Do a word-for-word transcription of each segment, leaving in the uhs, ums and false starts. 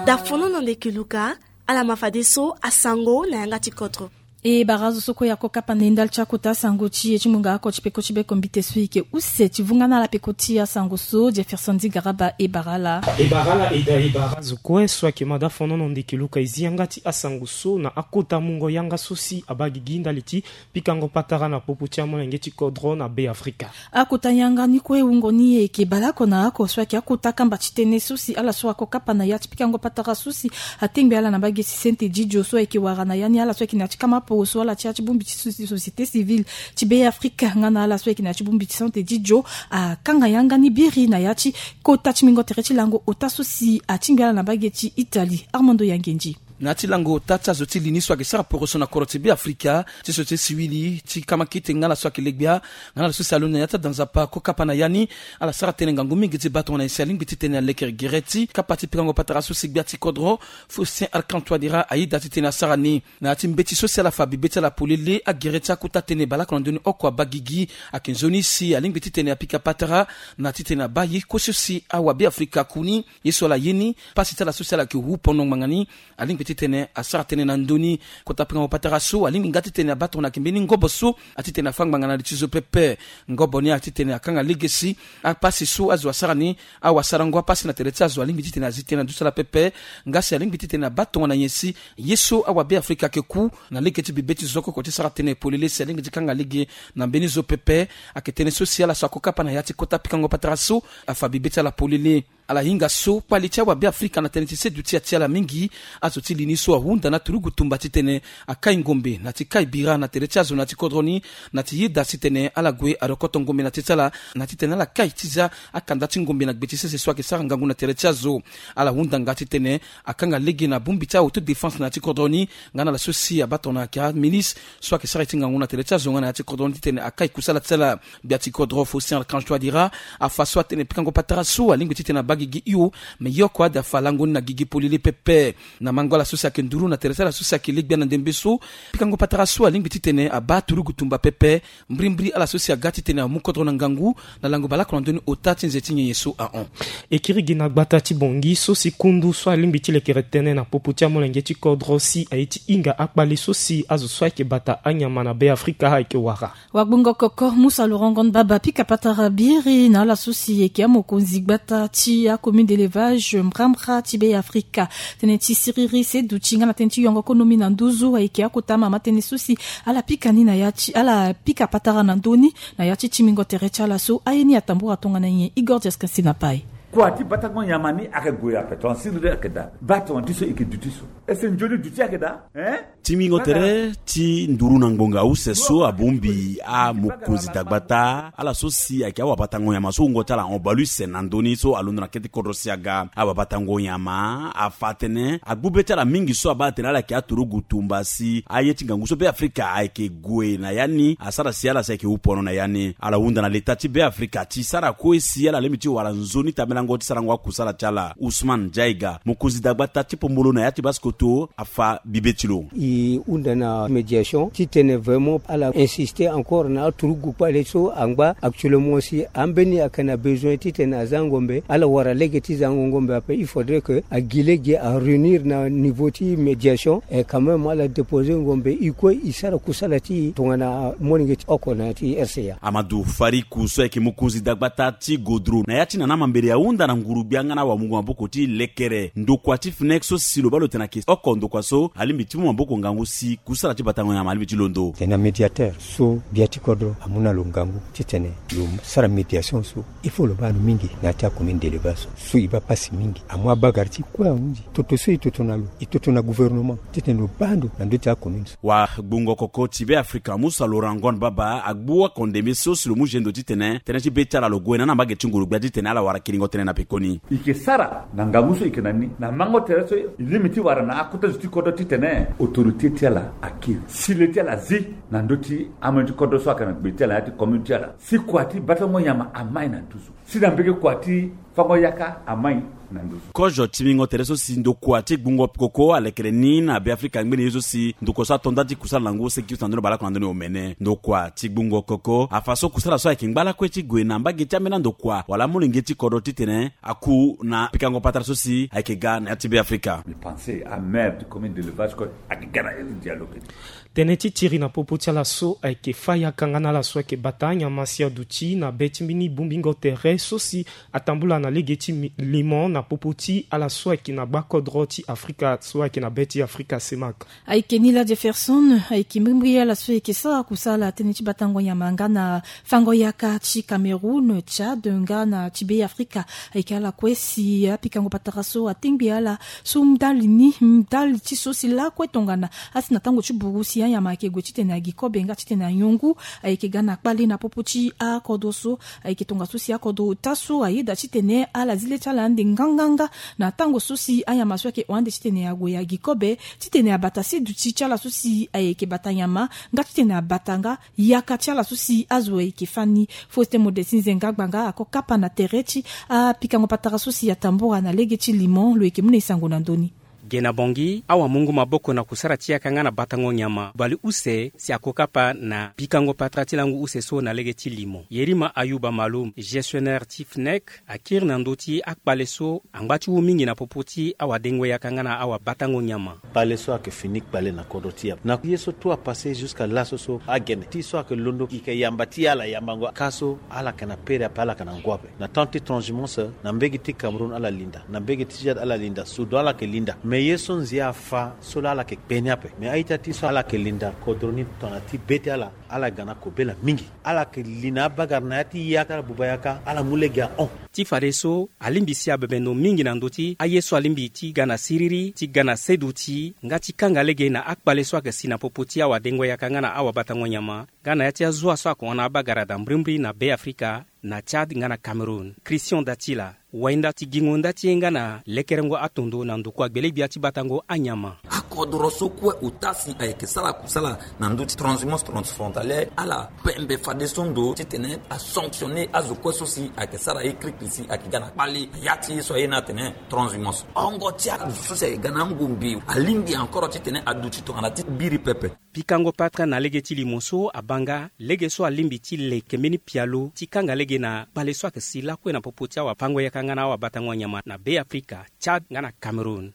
Dafono na ndeke luka. Ala ma fadeso asango na yanga ti kodro. E bara azo so kue ya ko kapa na e ndali ti akota asango ti e ti munga oko ti peko ti beko mbite so e yeke use ti vunga na ala peko ti asango so Jefferson Di Garaba e bara ala. E bara ala e da e bara azo kue so ayeke ma dafono na ndeke luka e zi yanga ti asango so na akota mungo yanga so si abaa gigi ndali ti pikango patara na popo ti amolenge ti kodro na Be Afrika. Akota yanga ni kue wungo ni e yeke baleoko na oko so ayeke akota kamba ti tënë so si ala so ako kapa na ya ti pikango patara so si atengbe ala na mbage ti sente didio so ayeke wara na ya ni ala so ayeke na ya ti kama poro so ala ti ya ti bongbi ti so si société civile ti Be Afrika nga na ala so ayeke na ya ti bongbi ti sente didio akanga yanga ni biri na ya ti kota ti mingo tere ti lango ota so si atingbi ala na mbage ti Italie. Armando Yangenji. Na ya ti lango ota ti azo ti li ni so ayeke sara poroso na kodro ti Be Afrika ti société civile ti kama kete nga na so ayeke legbia nga na so si alondo na ya ti ada nzapa ko kapa na ya ni. Ala sara tënë ngangu mingi ti baa tongana nyen si alingbi titene alekere gere ti kapa ti pikango patara so si gbia ti kodro Faustin Archange Touadéra ayeda titene asara ni. Na ya ti mbeti so si ala fa bibe ti ala polele agere ti akota tënë baleoko na ndö ni oko abaa gigi. Ayeke nzoni si alingbi titene apika patara na titene abaa ye kue so si awa Be Afrika aku ni. Ye so ala ye ni pasi ti ala so si ala yeke hu pondo ngbanga ni. Alingbi titene asara tënë na ndö ni. Kota pikango patara so alingbi nga titene abaa tongana ayeke mbeni ngobo so atitene afâ ngbanga na li ti zo pepe. Ngobo ni atitene akanga lege si apasi so azo asara ni, awasarango apasi na tere ti azo alingbi titene azi tënë na ndo ti ala pepe. Nga si alingbi titene abaa tongana nyen si ye so awa Be Afrika ayeke ku na lege ti bibe ti zo oko ti sara tënë polele si alingbi ti kanga lege na mbeni zo pepe. Ayeke tënë so si ala so ako kapa na ya ti kota pikango patara so afa bibe ti ala polele. Ala hinga so kpali ti awa Be Afrika na tënë ti seduti ya ti ala mingi. Azo ti li ni so ahunda na turugu tumba titene akai ngombe na ti kai bira na tere ti azo na ya ti kodro ni, na ti yeda titene ala gue arokoto ngombe na te ti ala, na titene ala kai ti za akanda ti ngombe na gbe ti sese so ayeke sara ngangu na tere ti azo. Ala hunda nga titene akanga lege na bongbi ti a-autodéfense na ya ti kodro ni, nga na ala so si abaa tongana ayeke aministre so ayeke sara ye ti ngangu na tere ti azo nga na ya ti kodro ni titene akai kusala ti ala. Gbia ti kodro Faustin Archange Touadéra afa so atene pikango patara so alingbi titene abaa gigi hio. Me ye oko ade afa lango ni na gigi polele pepe. Na mango ala so si ayeke nduru na tere ti ala so si ayeke legbia na ndembe so, pikango patara so alingbi titene abaa turugu tumba pepe. Mbrimbri ala so si aga titene amu kodro na ngangu na lango baleoko na ndö ni ota ti nze ti nyenye so ahon. E kiri gi na gbata ti Bangui so si kundu so alingbi ti lekere tënë na popo ti amolenge ti kodro si aye ti hinga akpale so si azo so ayeke bata anyama na Be Afrika ayeke wara. Wagbongo koko Musa Laurent Ngon Baba pika patara biri na ala so si e yeke amokonzi gbata ti acommune d'élevage Mbrambra ti Be Afrika. Tënë ti siriri seduti nga na tënë ti yongo konomi na nduzu ayeke akota mama tënë so si ala pika ni na ya ti ala pika patara na ndö ni na ya ti timingo tere ti ala so aye ni atambura tongana nyen. Igor Diaskansi na pai. Kua ti batango nyama ni ayeke gue ape tongana siriri ayeke daa. Baa tongana ti so e yeke duti so. Ese nzoni duti ayeke daa. Hein? Timingo tere ti nduru na ngbonga use so abongbi amokonzi dagbata ala so si ayeke awabatango nyama so wungo ti ala hon baleuse na ndö ni so alondo na kete kodro si aga awabatango nyama afa atene agbu be ti ala mingi so abaa atene ala yeke aturugu tumba si aye ti ngangu so Be Afrika ayeke gue na ya ni asara si ala si ayeke hu pono na ya ni. Ala hunda na leta ti Be Afrika ti sara kue si ala lingbi ti wara nzoni tambelango ti sarango akusala ti ala. Ousmane Jaiga, mokonzi dagbata ti Pombolo na ya ti Basse-Kotto, afa bibe ti lo. E hunda na médiation titene vraiment ala insister encore na aturugu kpale so angba actuellement si ambeni ayeke na besoin titene aza ngombe ala wara lege ti zango ngombe ape. Il faudrait que agi lege aréunir na niveau ti médiation et quand même ala déposer ngombe e kue e sara kusala ti e tongana molenge ti oko na ya ti R C A. Amadou Fariku so ayeke mokonzi dagbata ti Godro na ya ti nana mambere ahunda na nguru-gbia nga na awamungo maboko ti lekere ndokua ti FNEC so si lo baa lo tene ayeke oko ndokua so alingbi ti mu maboko ngangu si kusala ti batango nyama alingbi ti londo. Tena médiateur so gbia ti kodro amu na lo ngangu titene lo sara médiation so il faut lo baa lo mingi na ya ti acommune d'élevage so so e baa pasi mingi amu abagara ti kue ahunzi toto so e toto na lo e toto na gouvernement titene lo baa ndo na ndö ti acommune so. Wagbongo koko ti Be Afrika Musa Laurent Ngon Baba agbu oko ndembe so si lo mu zendo titene tënë ti be ti ala lo gue na na mbage ti nguru-gbia titene ala wara kiringo tënë na pekoni. E yeke sara na ngangu so e yeke na ni na mango tere so e lingbi ti wara na akota zo ti kodro titene autorité ti ala akiri si le ti ala zi na ndö ti amolenge ti kodro so ayeke na gbe ti ala na ya ti commune ti ala si kua ti batango nyama amai na nduzu si na mbege kua ti fango yaka amai. Kozo ti mingo tere so si ndokua ti gbungo koko alekere ni na Beafrika ngbeni ye so si ndokua so ato nda ti kusala na ngu seki use na ndoni baleoko na ndoni omene. Ndokua ti gbungo koko afa so kusala so ayeke ngba lakue ti gue na mbage ti ambeni andokua wala amolenge ti kodro titene aku na pikango patara so si ayeke ga na ya ti Beafrika. Tënë ti tiri na popo ti ala so ayeke fa yaka nga na ala so ayeke bata nyama si aduti na be ti mbeni bongbingo tere so si atambula na lege ti limon na popo ti ala so ayeke na gbakodro ti Afrika so ayeke na be ti Afrika, Semak. Ayeke ni la Jefferson, ayeke mbirimbiri ala so ayeke sara kusala tënë ti batango nyama nga na fango yaka ti Cameroun, Tchad nga na ti Beafrika. Ayeke ala kue si apikango patara so atengbi ala so ndali ni ndali ti so si lakue tongana asi na tango ti buru si anyama ayeke gue titene agi kobe nga titene anyongu. Ayeke ga na kpale na popo ti akodro so. Ayeke tongaso si akodro ota so ayeda titene ala zi le ti ala ande nganganga na tango so si anyama so ayeke hon ande titene ague agi kobe titene abata seduti ti ala so si ayeke bata nyama nga titene abata nga yaka ti ala so si azo ayeke fani. Faustin Modestin Zenga Gbanga ako kapa na tere ti apikango patara so si atambura na lege ti limon lo yeke mu na e sango na ndö ni. Ge na Bangui, awamungu maboko na kusara ti yaka nga na batango nyama baleuse si ako kapa na pikango patara ti langu use so na lege ti limon. Yerima Ayuba Malum, gestionnaire ti FNEC, akiri na ndö ti akpale so angba ti wu mingi na popo ti awadengo yaka nga na awabatango nyama. Kpale so ayeke fini kpale na kodro ti yamba na ye so tout a passe jusqu'à laso so agene ti so ayeke londo ike yamba ti ala yambango ka so ala yeke na pere ape ala yeke na ngu ape. Na temps ti transhumance na mbege ti Cameroun ala linda, na mbege ti Tchad ala linda, Soudan ala yeke linda. Me ye so nzia afa so laa ala yeke kpe ni ape. Me a-ita ti so ala yeke linda kodro ni tongana ti be ti ala, ala ga na kobela mingi. Ala yeke li na abagara na ya ti yaka ala buba yaka ala mu lege ahon. Ti fadeso alingbi si abebe ndo mingi na ndö ti aye so alingbi ti ga na siriri ti ga na seduti nga ti kanga lege na akpale so ayeke si na popo ti awadengo yaka nga na awabatango nyama nga na ya ti azo so ayeke hon na abagara daa mbirimbiri na Beafrika, na Tchad nga na Cameroun. Christian Datila, wainda ti gingo nda ti e nga na lekerengo atondo na ndokua gbele-gbia ti batango anyama. Akodro so kue ota si ayeke sara kusala na ndö ti transhumance transfrontalière ala pembe fadeso ndo titene asanctionner azo kue so si ayeke sara ye krikri si ayeke ga na kpale na ya ti ye so aye ni atene transhumance. Hongo ti azo so si ayeke ga na angombe alingbi encore titene aduti tongana ti biri pepe. Pikango patara na lege ti limo so abaa nga lege so alingbi ti leke mbeni pialo ti kanga lege na kpale so ayeke si lakue na popo ti awapango yaka nga na awabatango nyama na Beafrika, Tchad nga na Cameroun.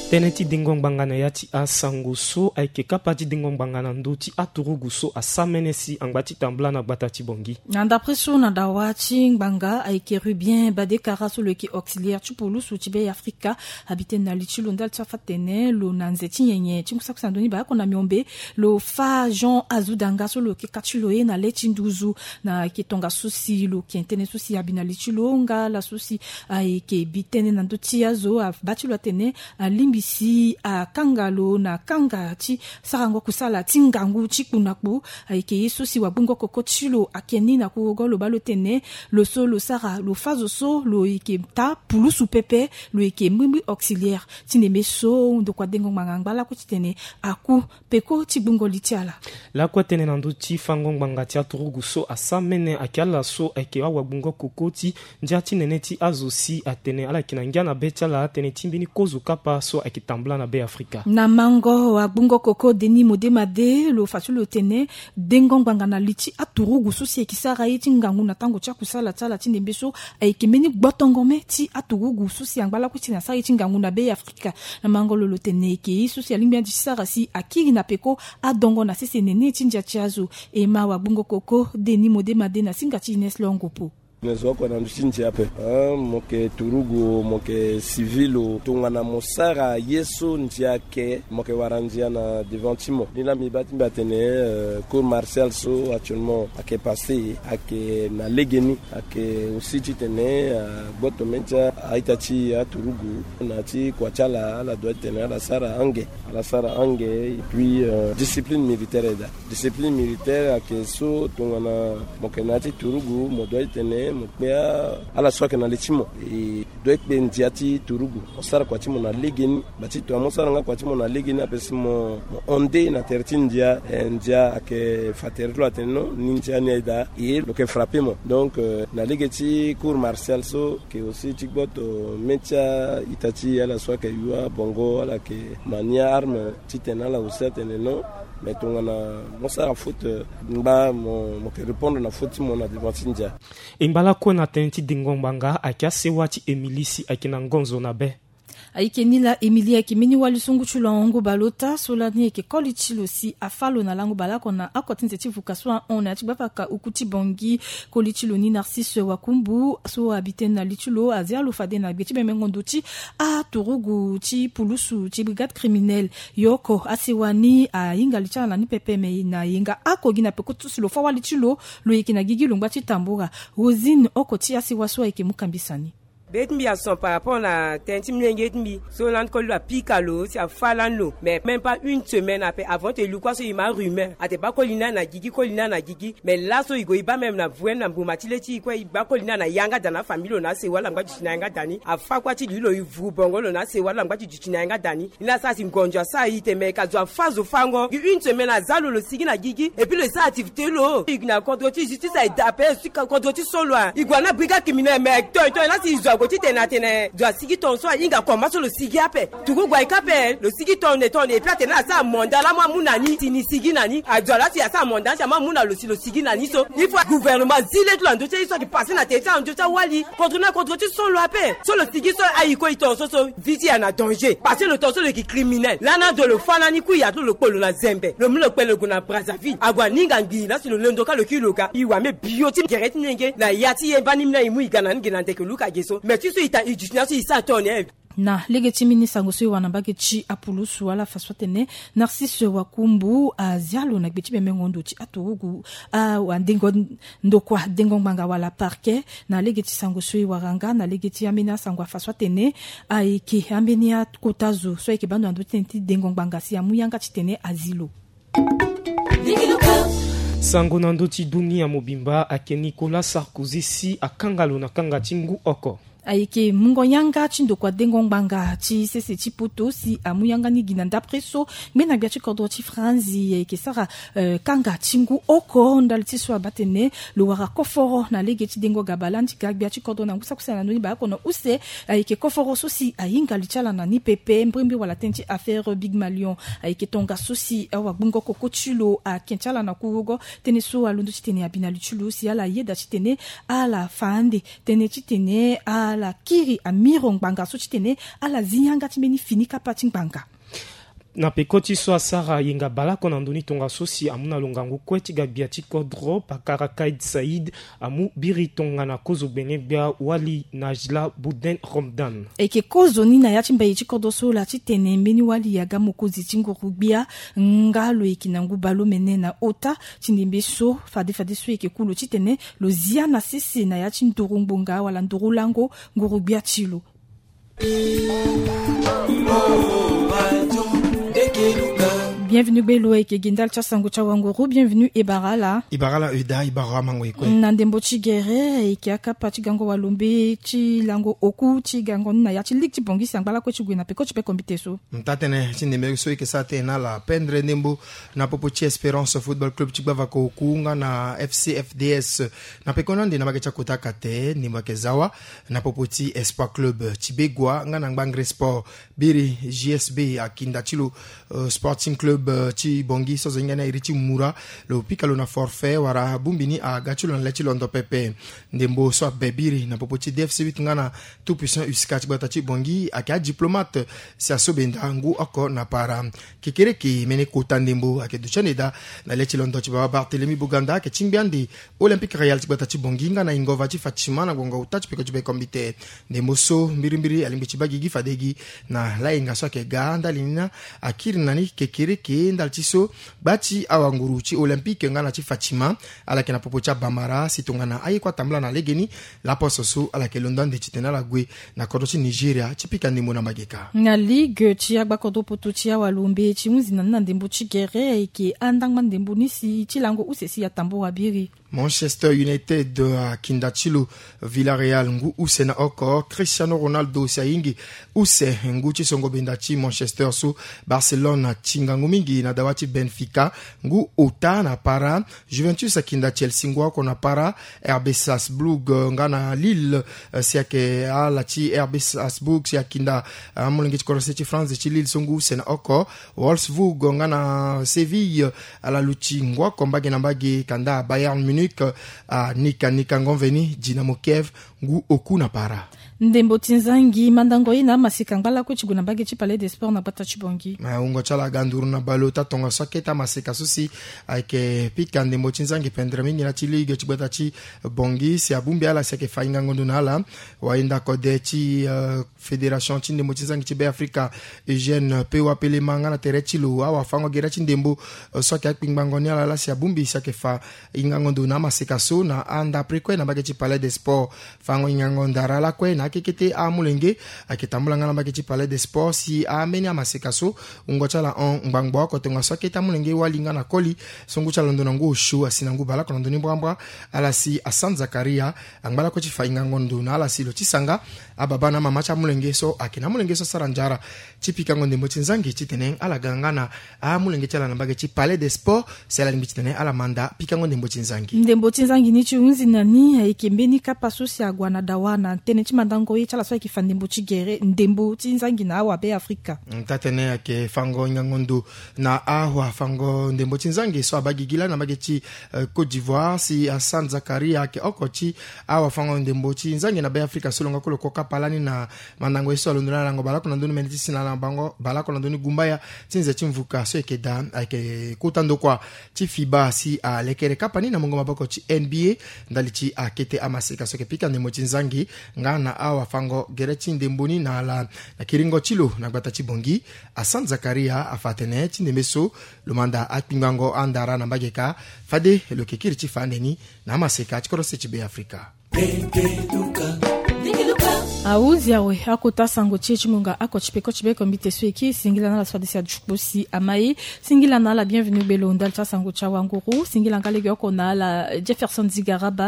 Tënë ti dengo ngbanga na ya ti asango so ayeke kapa ti dengo ngbanga na ndö ti aturugu so asamene si angba ti tambula na gbata ti Bangui. Na ndapre so na dawa ti ngbanga ayeke Rubien Badekara so lo yeke auxiliaire ti pulusu ti Beafrika. Abi tënë na li ti lo ndali ti afa tene lo na nze ti nyenye ti ngu saki na ndoni baako na miombe. Lo fa Jean Azoudanga so lo yeke ka ti lo ye na le ti nduzu. Na ayeke tongaso si lo yeke tënë so si abi na li ti lo nga laso si ayeke bi tënë na ndö ti azo abaa ti lo atene alingbi si akanga lo na kanga ti sarango kusala ti ngangu ti kpu na kpu. Ayeke ye so si wagbingo koko ti lo ayeke ni na kurugo lo baa lo tene lo so lo sara lo fa zo so lo yeke taa pulusu pepe. Lo yeke mbirimbiri auxiliaire ti ndembe so ndokua dengo ngbanga angba lakue titene aku peko ti gbungo li ti ala. Lakue tënë na ndö ti fango ngbanga ti aturugu so asamene ayeke ala so ayeke awagbingo koko ti ndia ti nene ti azo si atene ala yeke na ngia na be ti ala tënë ti mbeni kozo kapa so ayeke tambula na Beafrika. Na mango agbungo koko Denis Modemade lo fa ti lo tene dengo ngbanga na li ti aturugu so si ayeke sara ye ti ngangu na tango ti akusala ti ala ti ndembe so ayeke mbeni gbotongo me ti aturugu so si angba lakue titene asara ye ti ngangu na Beafrika. Na mango lo lo tene ayeke ye so si alingbi ande ti sara si akiri na peko adongo na sese nene ti ndia ti azo. E ma wagbingo koko Denis Modemade na singa ti Ines Longopo. Me zo oko na ndö ti ndia ape. Mo yeke turugu o, mo yeke civil o, tongana mo sara ye so ndia ayeke, mo yeke wara ndia na devant ti mo. Ni laa mbi baa ti mbi atene cour martiale so actuellement ayeke passe, ayeke na legeni, ayeke aussi titene agboto mê ti a-ita ti aturugu na ti kua ti ala, ala doit titene ala sara ange, ala sara ange. Et puis discipline militaire aye daa. Discipline militaire ayeke so tongana mo yeke na ya ti turugu mo doit titene Mo kpe ala so ayeke na le ti mo. E doit kpe ndia ti turugu. Mo sara kua ti mo na legeni. Bati to amu sara nga kua ti mo na legeni ape si mo hon nde na tere ti ndia. Ndia ayeke fa tere ti lo atene non ni ndia ni aye daa. E lo yeke frappe mo. Donc na lege ti cour martial so, ke aussi ti gboto me ti a-itati ala so ayeke yu abongo ala yeke ma ni a-arme, titene ala aussi atene non. Mais tongana mo sara faute, ngba mo yeke répondre na faute ti mo na devant ti ndia. E ngba lakue na tënë ti dengo ngbanga ayeke asewa ti Émilie si ayeke na ngonzo na be. Ayeke ni laa Émilie ayeke mbeni wali so ngu ti lo ahon ngu baleota so lani ayeke koli ti lo si afa lo na lango baleoko na oko ti nze ti vuka so ahon na ya ti gbavaka oku ti Bangui. Koli ti lo ni Narcisse Wakumbu so abi tënë na li ti lo azia lo fade na gbe ti bemengo ndo ti aturugu ti pulusu ti brigade criminelle. Yo oko asewa ni ahinga li ti ala na ni pepe me na yenga oko gi na peko ti so si lo fa wali ti lo. Lo yeke na gigi lo ngba ti tambura. Rosine oko ti asewa so ayeke mu kambisa ni. Be ti mbi ason par rapport na tënë ti milenge ti mbi so lani koli lo apika lo si afa lani lo mais même pas une semaine ape avant ti e lu kua so e ma rumeur ate baa koli ni na gigi koli ni na gigi. Mais laso e gue e baa même na vue na mbuma ti le ti e kue e baa koli ni na yanga da na afamille lo na asewa lo angba duti na yanga da ni afa kua ti li lo e vuru bongo lo na asewa lo angba ti duti na yanga da ni. E na sara si ngonzo asara e te mais ka zo afa zo fango gi une semaine aza lo lo sigi na gigi. Et puis lo e sara activité lo e gi na contre ti justice aye da ape. Contre ti so lo a e gue na brigade criminelle mais tonton e na si e zo ague titene atene zo asigi tonga so ahinga combat so lo sigi ape. Turugu ayeke ape lo sigi tonde tonde et puis atene asara manda laa mo amu na ni si ni sigi na ni azo ala si asara manda ni si amu amu na lo si lo sigi na ni so. Il faut gouvernement azi le ti lo na ndö ti aye so ayeke passe na tere ti ala na ndö ti awali. Contre na contre ti so lo ape so lo sigi so aye kue e tonga so so vie ti e ayeke na danger parce que lo tonga so lo yeke criminel lani ado lo fa lani kui ato lo kpo lo na zembe lo mu lo kpe lo gue na Brazzaville ague aninga ngbii laa si lo londo kâ lo kiri lo ga e wame bio ti gere ti nenge na ya ti e mbani mina e mu e ga na ni ge na ndeke luka ge so mais ti so e ta e duti na so e sara tonga na e. Na lege ti mbeni sango so e wara na mbage ti apulusu ala fa so atene Narcisse Wakumbu azia lo na gbe ti bemengo ndo ti aturugu awa ndengo ndokua dengo ngbanga wala parquet. Na lege ti sango so e wara nga na lege ti ambeni asango afa so atene ayeke ambeni akota zo so ayeke baa ndo na ndö ti tënë ti dengo ngbanga si amu yanga titene azi lo. Sango na ndö ti dunia mobimba ayeke Nicolas Sarkozy si akanga lo na kanga ti ngu oko. Ayeke mungo yanga ti ndokua dengo ngbanga ti sese ti poto si amu yanga ni gi na ndapre so ngbena gbia ti kodro ti Franzi ayeke sara kanga ti ngu oko ndali ti so abaa tene lo wara koforo na lege ti dengo gaba lani ti ga gbia ti kodro na ngu saki use na ndoni baleoko na use. Ayeke koforo so si ahinga li ti ala na ni pepe mbrimbri wala tënë ti affaire Big Malion. Ayeke tongaso si awagbungo koko ti lo ake ti ala na kurugo tënë so alondo titene abi na li ti lo si ala yeda titene ala fa ande tënë titene ala kiri amiro ngbanga so titene ala zi yanga ti mbeni fini kapa ti ngbanga. Na peko ti so asara yenga baleoko na ndö ni tongaso si amu na lo ngangu kue ti ga gbia ti kodro pakara Kaid Said amu biri tongana kozo gbene-gbia wali Najla Bouden Romdan. Ayeke kozo ni na ya ti mbai ti kodro so laa titene mbeni wali aga mokonzi ti nguru-gbia nga lo yeke na ngu baleomene na ota ti ndembe so fade fade so e yeke ku lo titene lo zia na sese na ya ti nduru ngbonga wala nduru lango nguru-gbia ti lo. Bienvenu gbe lo ayeke gi ndali ti asango ti awanguru. Bienvenu e bara ala. E bara ala eda e bara amango e kue. Na ndembo ti gere ayeke akapa ti gango walombe ti lango oku ti gango ni na ya ti ligue ti Bangui si angba lakue ti gue na peko ti pe kombite so. Taa-tënë ti ndembe so e yeke sara tënë na ala pendre ndembo na popo ti Espérance Football Club ti gbavaka oku nga na F C F D S. Na pekoni ande na mbage ti akota kate ndembo ayeke za wa na popo ti Espoir Club ti Begoua nga na Ngbangre Sport. Biri J S B akinda ti lo Sporting Club ti Bangui so azo hinga ni airi ti mura lo pika lo na forfait wala abongbi ni aga ti lo na le ti londo pepe. Ndembo so abe biri na popo ti D F C huit nga na Tout Puissant Usca ti gbata ti Bangui ayeke adiplomate si aso benda ngu oko na para. Kekereke mene kota ndembo ayeke duti ande daa na le ti londo ti baba Barthélemy Boganda ayeke tingbi ande Olympique Royal ti gbata ti Bangui nga na Ingova ti Fatima na ngonga ota ti peko ti be kombite. Ndembo so mbirimbiri alingbi ti baa gigi fade gi na layenga so ayeke ga ndali ni na akiri na ni kekereke ndali ti so gba ti awanguru ti Olympique nga na ti Fatima ala yeke na popo ti abamara si tongana aye kue atambula na legeni. Laposo so ala yeke londo ande titene ala gue na kodro ti Nigeria ti pika ndembo na mbage kâ. Na ligue ti agbakodro poto ti awalombe ti hunzi na ni na ndembo ti gere ayeke andangba ndembo ni si ti lango use si atambula biri. Manchester United akinda ti lo Villarreal ngu use na oko. Cristiano Ronaldo si ayingi use ngu ti songo benda ti Manchester so. Barcelone atinga ngu mingi na dawa ti Benfica ngu ota na para. Juventus akinda Chelsea ngu oko na para. R B Salzbourg nga na Lille si ayeke ala ti R B Salzbourg si akinda amolenge ti korose ti France ti Lille so ngu use na oko. Wolfsburg nga na Séville ala luti ngu oko mbage na mbage. Kanda Bayern Munich anika nika ngonveni Dynamo Kiev ngu oku na para. Ndembo ti nzangi mandango ye na amaseka ngba lakue ti gue na mbage ti Palais des Sports na gbata ti Bangui. Wungo ti ala aga nduru na baleota tongaso akete amaseka so si ayeke pika ndembo ti nzangi pendere mingi na ti ligue ti gbata ti Bangui si abongbi ala si ayeke fa hingango ndo na ala. Wayenda kode ti fédération ti ndembo ti nzangi ti Be Afrika, Eugène Pewa Pelema nga na tere ti lo awafango gere ti ndembo so ayeke akpingbango ni ala laa si abongbi si ayeke fa hingango ndo na amaseka so na andapre kue na mbage ti Palais des Sports. Fango hingango ndara lakue na akekete amolenge ayeke tambula nga na mbage ti Palais des Sports si ambeni amaseka so wungo ti ala hon ngbangbo oko tongaso akete amolenge wali nga na koli so ngu ti ala londo na ngu osio asi na ngu baleoko na ndoni mbrambra. Ala si Hassan Zakaria angba lakue ti fa hingango ndo na ala si lo ti sanga ababa na amama ti amolenge so ayeke na amolenge so asara nzara ti pikango ndembo ti nzangi titene ala ga nga na amolenge ti ala na mbage ti Palais des Sports si ala lingbi titene ala manda pikango ndembo ti nzangi. Ndembo ti nzangi ni ti hunzi na ni ayeke mbeni kapa so si agua na dawa na tënë ti mandango ye ti ala so ayeke fa ndembo ti gere ndembo ti nzangi na awa Be Afrika. Taa-tënë ayeke fango hingango ndo na awafango ndembo ti nzangi so abaa gigi lani na mbage ti Côte d'Ivoire si Hassan Zakaria ayeke oko ti awafango ndembo ti nzangi na Be Afrika so lo nga kue lo ko kapa lani na mandango ye so alondo na ala lango baleoko na ndoni mene ti si na ala bango baleoko na ndoni gumbaya ti nze ti mvuka so ayeke daa ayeke kota ndokua ti fiba si alekere kapa ni na mungo maboko ti N B A ndali ti akete amaseka so ayeke pika ndembo ti nzangi nga na awafango gere ti ndembo ni na ala na kiringo ti lo na gbata ti Bangui. Hassan Zakaria afa atene ti ndembe so lo manda akpingbango andara na mbage ka fade lo yeke kiri ti fa ande ni na amaseka ti korose ti Be Afrika. Ahunzi awe akota sango ti e ti ngonga oko ti peko ti beko mbi te so e kiri singila na ala so fade si aduti kpo si ama ye. Singila na ala bienvenu gbelo ndali ti asango ti awanguru singila nga legeoko na ala Jefferson Zigaraba.